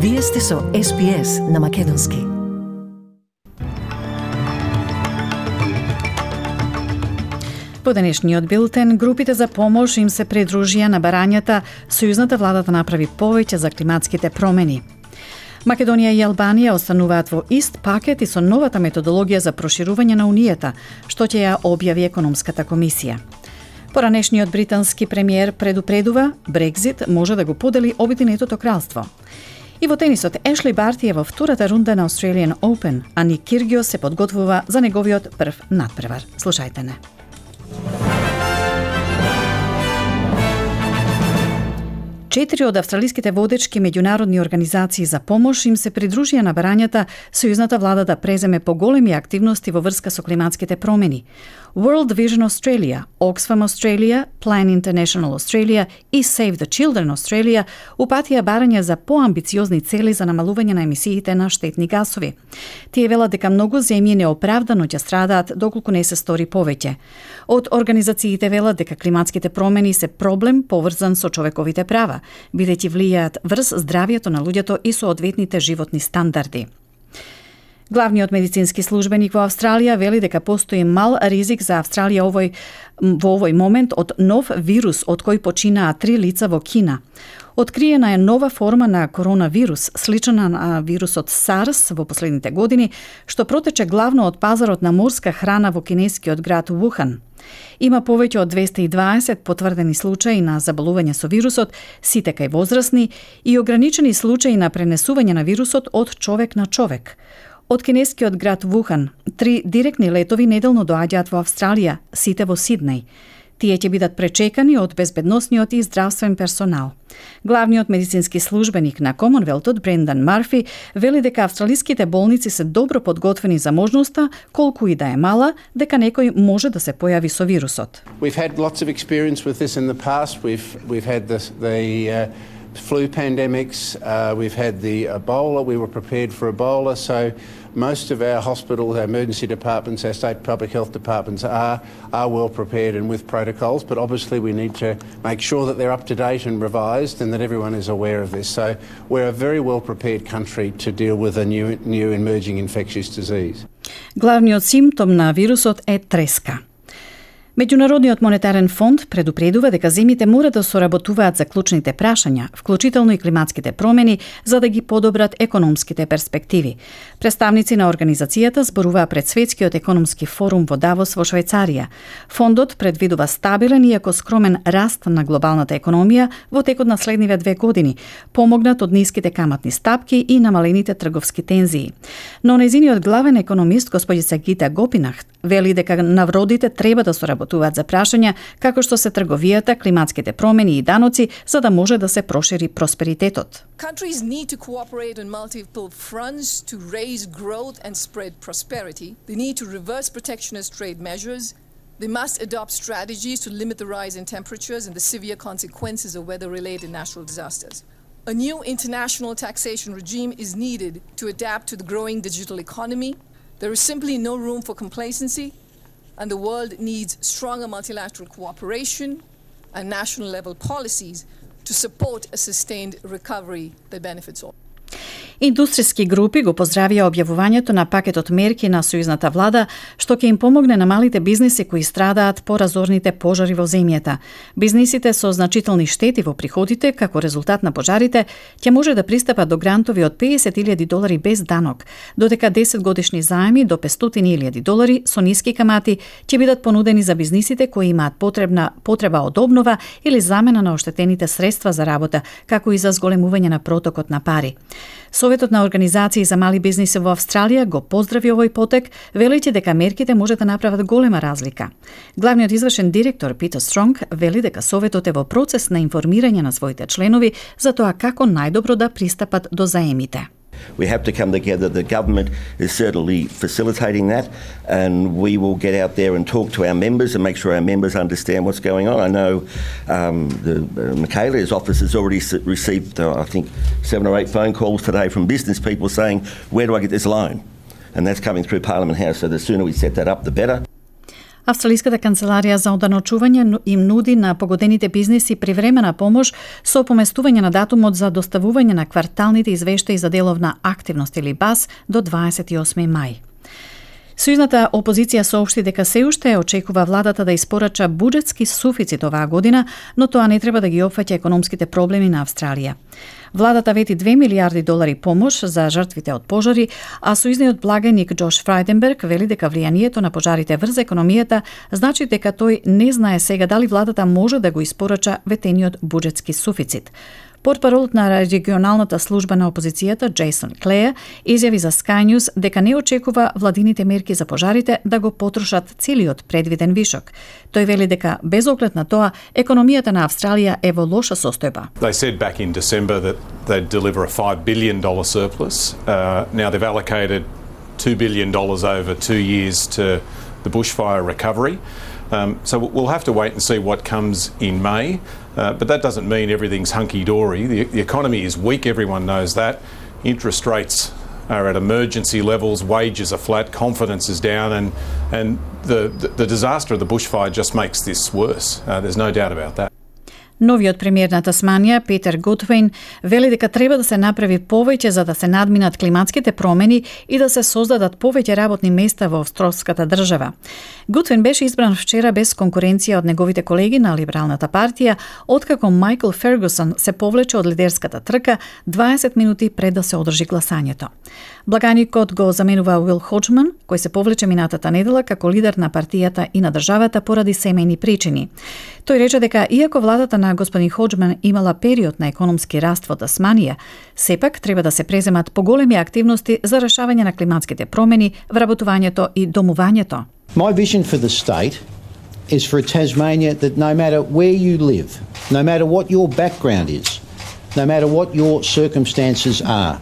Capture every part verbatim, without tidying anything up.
Вие сте со Ес Би Ес на Македонски. По денешниот билтен, групите за помош им се придружија на барањата сојузната влада да направи повеќе за климатските промени. Македонија и Албанија остануваат во ист пакет и со новата методологија за проширување на Унијата, што ќе ја објави економската комисија. Поранешниот британски премиер предупредува, Брекзит може да го подели Обединетото кралство. И во тенисот, Ешли Барти е во втората рунда на Australian Open, а Ник Киргиос се подготвува за неговиот прв надпревар. Слушајте не. Четири од австралиските водечки меѓународни организации за помош им се придружија на барањата сојузната влада да преземе поголеми активности во врска со климатските промени. World Vision Australia, Oxfam Australia, Plan International Australia и Save the Children Australia упатија барања за поамбициозни цели за намалување на емисиите на штетни гасови. Тие велат дека многу земји неоправдано ќе страдаат доколку не се стори повеќе. Од организациите велат дека климатските промени се проблем поврзан со човековите права, бидејќи влијаат врз здравието на луѓето и соодветните животни стандарди. Главниот медицински службеник во Австралија вели дека постои мал ризик за Австралија овој, во овој момент од нов вирус од кој починаа три лица во Кина. Откриена е нова форма на коронавирус, слична на вирусот SARS во последните години, што протече главно од пазарот на морска храна во кинескиот град Вухан. Има повеќе од двесте и дваесет потврдени случаи на заболување со вирусот, сите кај возрастни, и ограничени случаи на пренесување на вирусот од човек на човек. Од кинескиот град Вухан, три директни летови неделно доаѓаат во Австралија, сите во Сиднеј. Тие ќе бидат пречекани од безбедносниот и здравствен персонал. Главниот медицински службеник на Комонвелтот, Брендан Марфи, вели дека австралиските болници се добро подготвени за можноста, колку и да е мала, дека некој може да се појави со вирусот. We've had lots of experience with this in the past. We've we've had the the uh, flu pandemics, uh, we've had the Ebola, we were prepared for Ebola, so most of our hospitals, our emergency departments, our state public health departments are, are well prepared and with protocols, but obviously we need to make sure that they're up to date and revised and that everyone is aware of this. So we're a very well prepared country to deal with a new, new emerging infectious disease. Главниот симптом на вирусот е треска. Меѓународниот монетарен фонд предупредува дека земјите мора да соработуваат за клучните прашања, вклучително и климатските промени, за да ги подобрат економските перспективи. Представници на организацијата зборуваа пред Светскиот економски форум во Давос во Швајцарија. Фондот предвидува стабилен иако скромен раст на глобалната економија во текот на следниве две години, помогнат од ниските каматни стапки и намалените трговски тензии. Но нејзиниот главен економист, господица Гита Гопинахт, вели дека навродите треба да соработуваат за прашања како што се трговијата, климатските промени и даноци, за да може да се прошири просперитетот. Countries need to cooperate on multiple fronts to raise growth and spread prosperity. They need to reverse protectionist trade measures. They must adopt strategies to limit the rise in temperatures and the severe consequences of weather-related natural disasters. A new international taxation regime is needed to adapt to the growing digital economy. There is simply no room for complacency, and the world needs stronger multilateral cooperation and national-level policies to support a sustained recovery that benefits all. Индустријски групи го поздравија објавувањето на пакетот мерки на сојузната влада, што ќе им помогне на малите бизниси кои страдаат по разорните пожари во земјата. Бизнисите со значителни штети во приходите како резултат на пожарите ќе може да пристапат до грантови од педесет илјади долари без данок, додека десет годишни заеми до петстотини илјади долари со ниски камати ќе бидат понудени за бизнисите кои имаат потребна потреба од обнова или замена на оштетените средства за работа, како и за зголемување на протокот на пари. Советот на организации за мали бизниси во Австралија го поздрави овој потек, велејќи дека мерките може да направат голема разлика. Главниот извршен директор Питер Стронг вели дека Советот е во процес на информирање на своите членови за тоа како најдобро да пристапат до заемите. We have to come together. The government is certainly facilitating that, and we will get out there and talk to our members and make sure our members understand what's going on. I know um, the, uh, Michaela's office has already received, uh, I think, seven or eight phone calls today from business people saying, where do I get this loan? And that's coming through Parliament House, so the sooner we set that up, the better. Австралиската канцеларија за оданочување им нуди на погодените бизниси привремена помош со поместување на датумот за доставување на кварталните извештаи за деловна активност или БАС до дваесет и осми мај. Сојузната опозиција соопшти дека се уште очекува владата да испорача буџетски суфицит оваа година, но тоа не треба да ги опфаќа економските проблеми на Австралија. Владата вети две милиарди долари помош за жртвите од пожари, а сојузниот благајник Џош Фрајденберг вели дека влијанието на пожарите врз економијата значи дека тој не знае сега дали владата може да го испорача ветениот буџетски суфицит. Портпаролот на регионалната служба на опозицијата Джейсон Клеја изјави за Sky News дека не очекува владините мерки за пожарите да го потрошат целиот предвиден вишок. Тој вели дека без оглед на тоа економијата на Австралија е во лоша состојба. They said back in December that they'd deliver a five billion dollars surplus. Uh, now they've allocated two billion dollars over two years to the bushfire recovery. Um, so we'll have to wait and see what comes in May. Uh, but that doesn't mean everything's hunky-dory. The, the economy is weak, everyone knows that. Interest rates are at emergency levels, wages are flat, confidence is down, and, and the, the, the disaster of the bushfire just makes this worse. Uh, there's no doubt about that. Новиот премиер на Тасманија, Питер Готвейн, вели дека треба да се направи повеќе за да се надминат климатските промени и да се создадат повеќе работни места во австралската држава. Готвейн беше избран вчера без конкуренција од неговите колеги на Либералната партија, откако Майкл Фергусон се повлече од лидерската трка дваесет минути пред да се одржи гласањето. Благајникот го заменува Уил Хоџман, кој се повлече минатата недела како лидер на партијата и на државата поради семејни причини. Тој рече дека иако владата на господин Хоџман имала период на економски раст во Тасманија, сепак треба да се преземат поголеми активности за решавање на климатските промени, вработувањето и домувањето. My vision for the state is for a Tasmania that no matter where you live, no matter what your background is, no matter what your circumstances are,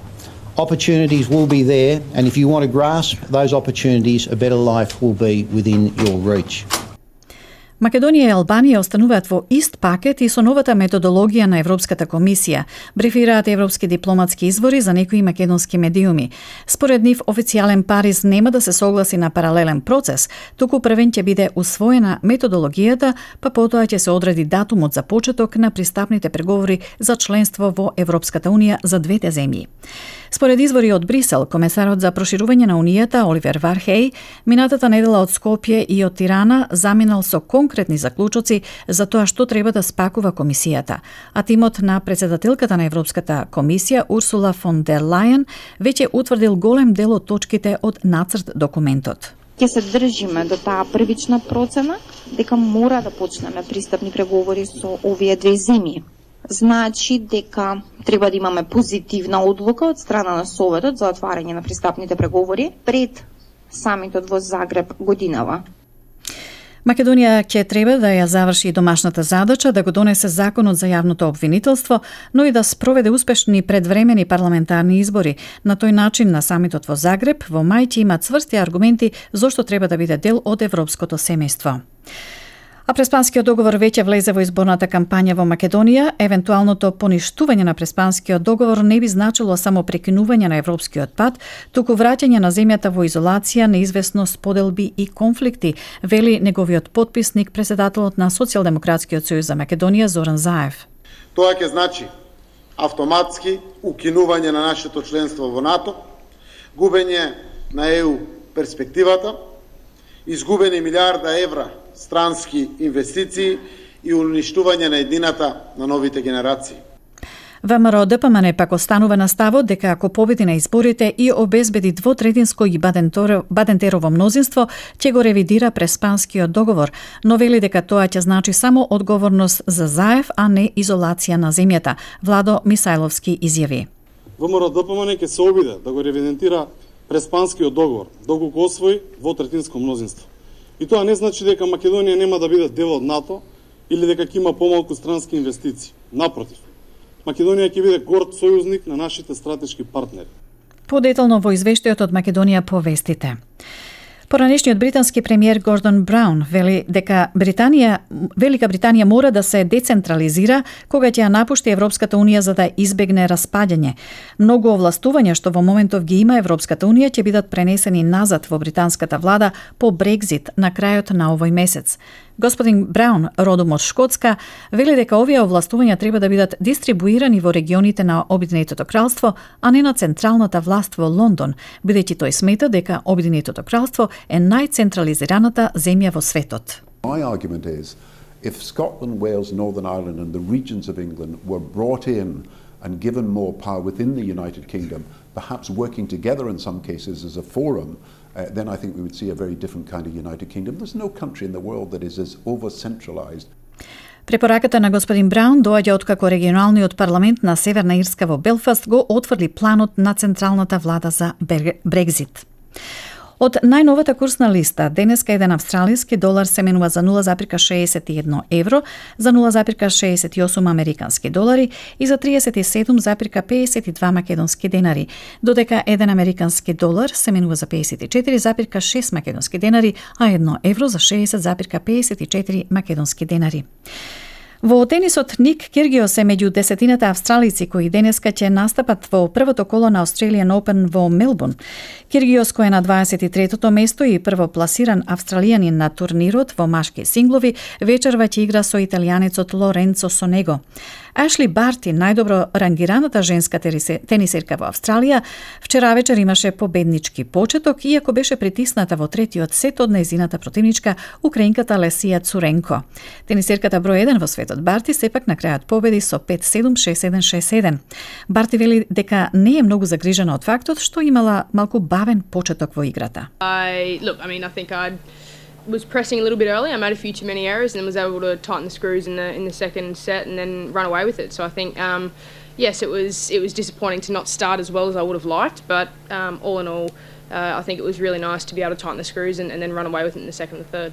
opportunities will be there, and if you want to grasp those opportunities, a better life will be within your reach. Македонија и Албанија остануваат во ист пакет и со новата методологија на Европската комисија, брифираат европски дипломатски извори за некои македонски медиуми. Според нив, официјален Париз нема да се согласи на паралелен процес, туку првен ќе биде усвоена методологијата, па потоа ќе се одреди датумот за почеток на пристапните преговори за членство во Европската унија за двете земји. Според извори од Брисел, комесарот за проширување на Унијата Оливер Вархеј минатата недела од Скопје и од Тирана заминал со конкретни заклучоци за тоа што треба да спакува комисијата, а тимот на председателката на Европската комисија Урсула фон дер Лајен веќе утврдил голем дел од точките од нацрт документот. Ќе се држиме до таа првична процена дека мора да почнеме пристапни преговори со овие две земји. Значи дека треба да имаме позитивна одлука од страна на Советот за отварање на пристапните преговори пред самитот во Загреб годинава. Македонија ќе треба да ја заврши домашната задача да го донесе законот за јавното обвинителство, но и да спроведе успешни предвремени парламентарни избори. На тој начин на самитот во Загреб во мај ќе има цврсти аргументи зошто треба да биде дел од европското семејство. А Преспанскиот договор веќе влезе во изборната кампања во Македонија. Евентуалното поништување на Преспанскиот договор не би значило само прекинување на европскиот пат, туку враќање на земјата во изолација, неизвестност, поделби и конфликти, вели неговиот потписник, председателот на Социјалдемократскиот сојуз за Македонија Зоран Заев. Тоа ќе значи автоматски укинување на нашето членство во НАТО, губење на Е У перспективата, изгубени милиарда евра странски инвестиции и уништување на еднината на новите генерации. ВМРО Д П М Н пак останува на ставот дека ако победи на изборите и обезбеди двотретинско и бадентерово мнозинство, ќе го ревидира Преспанскиот договор, но вели дека тоа ќе значи само одговорност за Заев, а не изолација на земјата. Владо Мисајловски изјави. ВМРО Д П М Н ќе се обиде да го ревидентира Преспанскиот договор, доколку освои двотретинско мнозинство. И тоа не значи дека Македонија нема да биде дел од НАТО или дека ќе има помалку странски инвестиции. Напротив, Македонија ќе биде горд сојузник на нашите стратешки партнери. Подетално во извештајот од Македонија по вестите. Поранешниот британски премиер Гордон Браун вели дека Британија, Велика Британија мора да се децентрализира кога ќе ја напушти Европската унија за да избегне распаѓање. Многу овластувања што во моментов ги има Европската унија ќе бидат пренесени назад во британската влада по Брекзит на крајот на овој месец. Господин Браун, родом од Шкотска, вели дека овие овластувања треба да бидат дистрибуирани во регионите на Обединетото кралство, а не на централната власт во Лондон, бидејќи тој смета дека Обединетото кралство е најцентрализираната земја во светот. My argument is, if Scotland, Wales, Northern Ireland and the regions of England were brought in and given more power within the United Kingdom, perhaps working together in some cases as a forum, uh, then I think we would see a very different kind of United Kingdom. There's no country in the world that is as over-centralised. Препораката на господин Браун доаѓа откако регионалниот парламент на Северна Ирска во Белфаст го отврли планот на централната влада за Брекзит. Од најновата курсна листа, денеска еден австралиски долар се менува за нула зарез шеесет и едно евро, за нула зарез шеесет и осум американски долари и за триесет и седум зарез пеесет и два македонски денари, додека еден американски долар се менува за пеесет и четири зарез шест македонски денари, а едно евро за шеесет зарез пеесет и четири македонски денари. Во тенисот Ник Киргиос е меѓу десетината австралици кои денеска ќе настапат во првото коло на Australian Open во Мелбурн. Киргиос, кој е на дваесет и третото место и првопласиран австралијанин на турнирот во машки синглови, вечерва ќе игра со италијанецот Лоренцо Сонего. Ашли Барти, најдобро рангираната женска тенисерка во Австралија, вчера вечер имаше победнички почеток, иако беше притисната во третиот сет од нејзината противничка, украинката Лесија Цуренко. Тенисерката број еден во светот Барти сепак на крајот победи со пет седум, шест седум, шест седум. Барти вели дека не е многу загрижена од фактот што имала малку бавен почеток во играта. I look, I mean, I think I was pressing a little bit early. I made a few too many errors and was able to tighten the screws in the in the second set and then run away with it. So I think um, yes, it was it was disappointing to not start as well as I would have liked, but um, all in all, uh, I think it was really nice to be able to tighten the screws and, and then run away with it in the second and the third.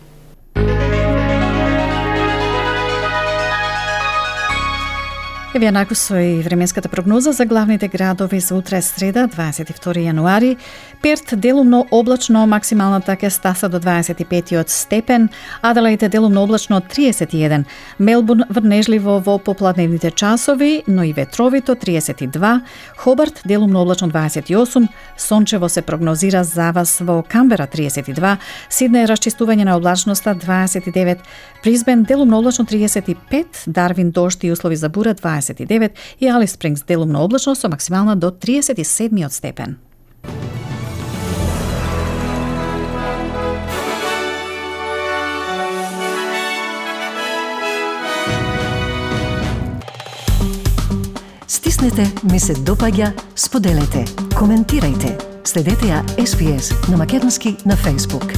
Еве накус со и временската прогноза за главните градови за утре среда, дваесет и втори јануари. Перт делумно облачно, максималната ќе стаса до дваесет и пет степен, Аделаид е делумно облачно триесет и еден, Мелбурн врнежливо во попладневните часови, но и ветровито триесет и два, Хобарт делумно облачно дваесет и осум, сончево се прогнозира за вас во Камбера триесет и два, Сиднеј расчистување на облачноста дваесет и девет, Брисбен делумно облачно триесет и пет, Дарвин дожд и услови за бура дваесет и девет и Алис Спрингс делумно облачно со максимална до триесет и седми степен. Стиснете, ми се допаѓа, споделете, коментирајте. Следете ја Ес Би Ес на македонски на Facebook.